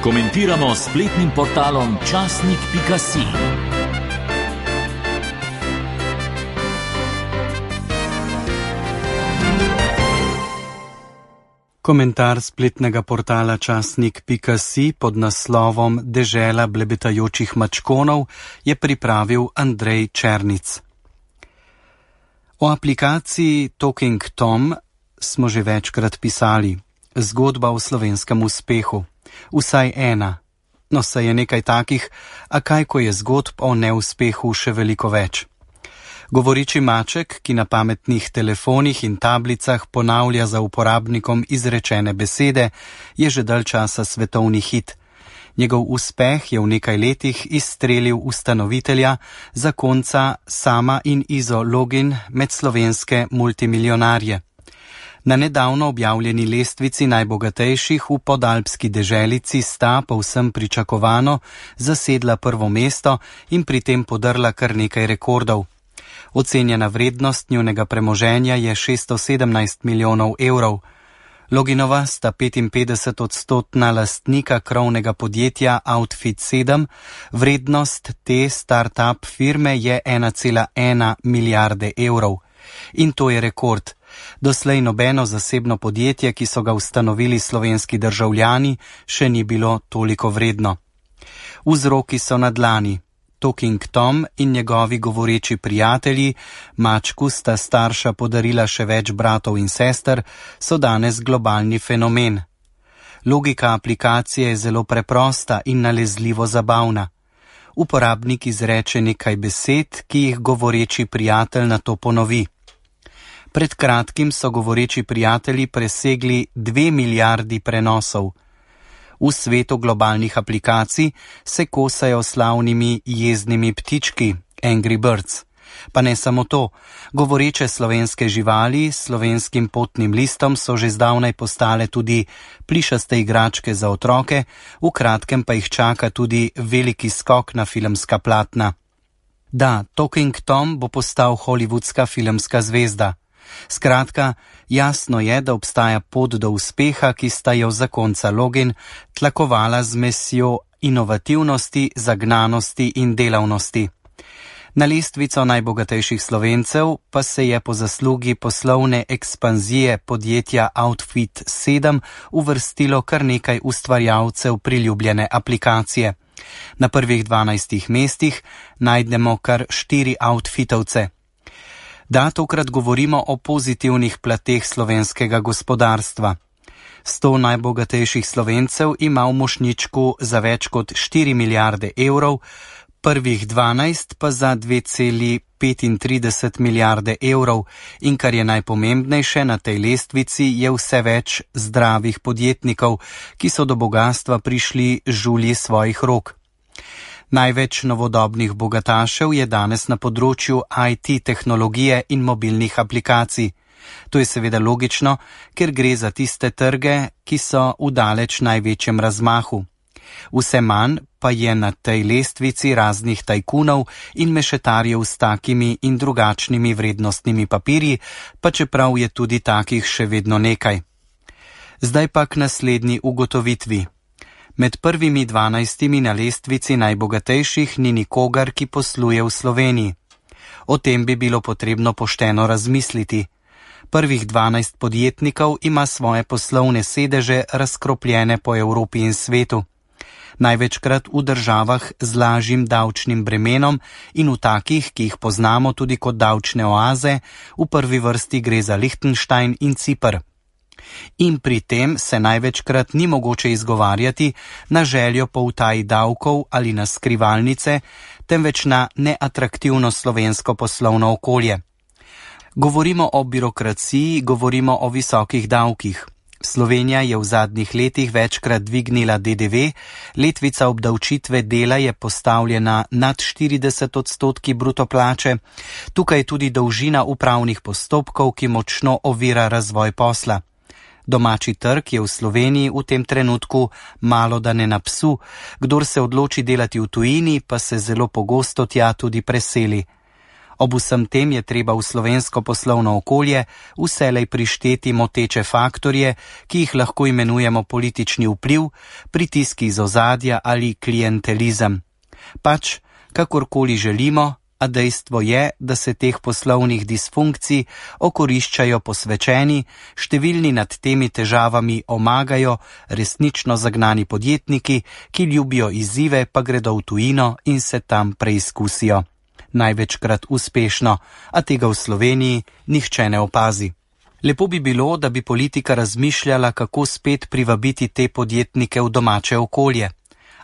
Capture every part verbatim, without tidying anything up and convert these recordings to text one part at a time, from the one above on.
Komentiramo s spletnim portalom časnik pika si. Komentar spletnega portala časnik pika si pod naslovom Dežela blebetajočih mačkonov je pripravil Andrej Černic. O aplikaciji Talking Tom smo že večkrat pisali. Zgodba o slovenskem uspehu. Vsaj ena. No, saj je nekaj takih, a kaj ko je zgodb o neuspehu še veliko več. Govoreči maček, ki na pametnih telefonih in tablicah ponavlja za uporabnikom izrečene besede, je že dalj časa svetovni hit. Njegov uspeh je v nekaj letih izstrelil ustanovitelja, zakonca Sama in Izo Login med slovenske multimilionarje. Na nedavno objavljeni lestvici najbogatejših v podalpski deželici sta povsem pričakovano zasedla prvo mesto in pri tem podrla kar nekaj rekordov. Ocenjena vrednost njunega premoženja je šeststo sedemnajst milijonov evrov. Loginova sta petinpetdeset odstotna lastnika krovnega podjetja Outfit sedem, vrednost te start-up firme je ena cela ena milijarde evrov. In to je rekord. Doslej nobeno zasebno podjetje, ki so ga ustanovili slovenski državljani, še ni bilo toliko vredno. Vzroki so na dlani. Talking Tom in njegovi govoreči prijatelji, mačku sta starša podarila še več bratov in sester, so danes globalni fenomen. Logika aplikacije je zelo preprosta in nalezljivo zabavna. Uporabnik izreče nekaj besed, ki jih govoreči prijatelj nato ponovi. Pred kratkim so govoreči prijatelji presegli dve milijardi prenosov. V svetu globalnih aplikacij se kosajo slavnimi jeznimi ptički, Angry Birds. Pa ne samo to, govoreče slovenske živali s slovenskim potnim listom so že zdavnaj postale tudi plišaste igračke za otroke, v kratkem pa jih čaka tudi veliki skok na filmska platna. Da, Talking Tom bo postal hollywoodska filmska zvezda. Skratka, jasno je, da obstaja pot do uspeha, ki sta jo zakonca Login tlakovala z mesjo inovativnosti, zagnanosti in delavnosti. Na lestvico najbogatejših Slovencev pa se je po zaslugi poslovne ekspanzije podjetja Outfit sedem uvrstilo kar nekaj ustvarjalcev priljubljene aplikacije. Na prvih dvanajstih mestih najdemo kar štiri outfitovce. Da, tokrat govorimo o pozitivnih plateh slovenskega gospodarstva. Sto najbogatejših Slovencev ima v mošnjičku za več kot štiri milijarde evrov, prvih dvanajst pa za dve celi petintrideset milijarde evrov in kar je najpomembnejše na tej lestvici je vse več zdravih podjetnikov, ki so do bogastva prišli žulji svojih rok. Največ novodobnih bogatašev je danes na področju I T tehnologije in mobilnih aplikacij. To je seveda logično, ker gre za tiste trge, ki so v daleč največjem razmahu. Vse manj pa je na tej lestvici raznih tajkunov in mešetarjev s takimi in drugačnimi vrednostnimi papirji, pa čeprav je tudi takih še vedno nekaj. Zdaj pa k naslednji ugotovitvi. Med prvimi dvanajstimi na lestvici najbogatejših ni nikogar, ki posluje v Sloveniji. O tem bi bilo potrebno pošteno razmisliti. Prvih dvanajst podjetnikov ima svoje poslovne sedeže razkropljene po Evropi in svetu. Največkrat v državah z lažjim davčnim bremenom in v takih, ki jih poznamo tudi kot davčne oaze, v prvi vrsti gre za Lichtenstein in Ciper. In pri tem se največkrat ni mogoče izgovarjati na željo po utaji davkov ali na skrivalnice, temveč na neatraktivno slovensko poslovno okolje. Govorimo o birokraciji, govorimo o visokih davkih. Slovenija je v zadnjih letih večkrat dvignila D D V, letvica obdavčitve dela je postavljena nad štirideset odstotki bruto plače, tukaj tudi dolžina upravnih postopkov, ki močno ovira razvoj posla. Domači trg je v Sloveniji v tem trenutku malo da ne na psu, kdor se odloči delati v tujini, pa se zelo pogosto tja tudi preseli. Ob vsem tem je treba v slovensko poslovno okolje vselej prišteti moteče faktorje, ki jih lahko imenujemo politični vpliv, pritiski iz ozadja ali klientelizem. Pač, kakorkoli želimo, a dejstvo je, da se teh poslovnih disfunkcij okoriščajo posvečeni, številni nad temi težavami omagajo resnično zagnani podjetniki, ki ljubijo izzive, pa gredo v tujino in se tam preizkusijo. Največkrat uspešno, a tega v Sloveniji nihče ne opazi. Lepo bi bilo, da bi politika razmišljala, kako spet privabiti te podjetnike v domače okolje.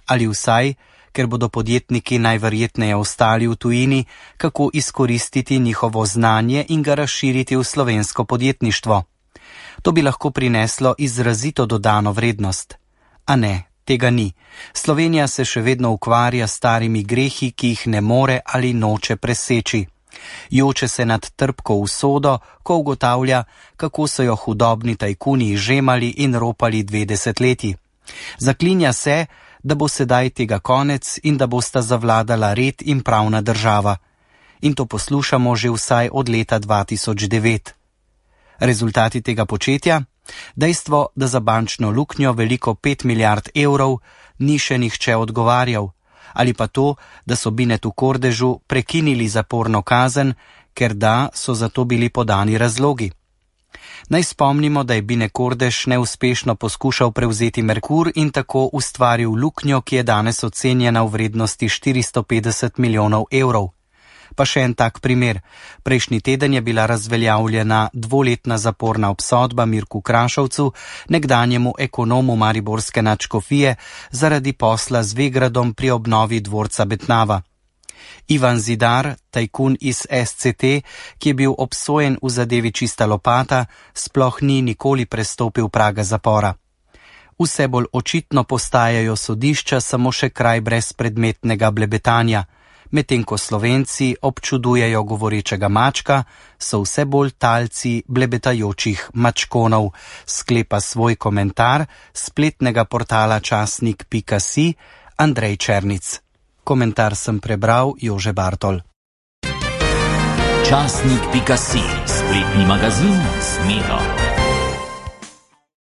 Ali vsaj, ker bodo podjetniki najverjetneje ostali v tujini, kako izkoristiti njihovo znanje in ga razširiti v slovensko podjetništvo. To bi lahko prineslo izrazito dodano vrednost. A ne, tega ni. Slovenija se še vedno ukvarja s starimi grehi, ki jih ne more ali noče preseči. Joče se nad trpko usodo, ko ugotavlja, kako so jo hudobni tajkuni izžemali in ropali dve desetletji. Zaklinja se, da bo sedaj tega konec in da bosta zavladala red in pravna država. In to poslušamo že vsaj od leta dva tisoč devet. Rezultati tega početja? Dejstvo, da za bančno luknjo veliko pet milijard evrov ni še nihče odgovarjal. Ali pa to, da so Binetu Kordežu prekinili zaporno kazen, ker da so za to bili podani razlogi. Naj spomnimo, da je Bine Kordež neuspešno poskušal prevzeti Merkur in tako ustvaril luknjo, ki je danes ocenjena v vrednosti štiristo petdeset milijonov evrov. Pa še en tak primer. Prejšnji teden je bila razveljavljena dvoletna zaporna obsodba Mirku Krašovcu, nekdanjemu ekonomu mariborske nadškofije, zaradi posla z Vegradom pri obnovi dvorca Betnava. Ivan Zidar, tajkun iz es ce te, ki je bil obsojen v zadevi Čista lopata, sploh ni nikoli prestopil praga zapora. Vse bolj očitno postajajo sodišča samo še kraj brezpredmetnega blebetanja. Medtem ko Slovenci občudujejo govorečega mačka, so vse bolj talci blebetajočih mačkonov, sklepa svoj komentar spletnega portala časnik pika si Andrej Černic. Komentar sem prebral Jože Bartol. Časnik pika si, spletni magazin Smelo.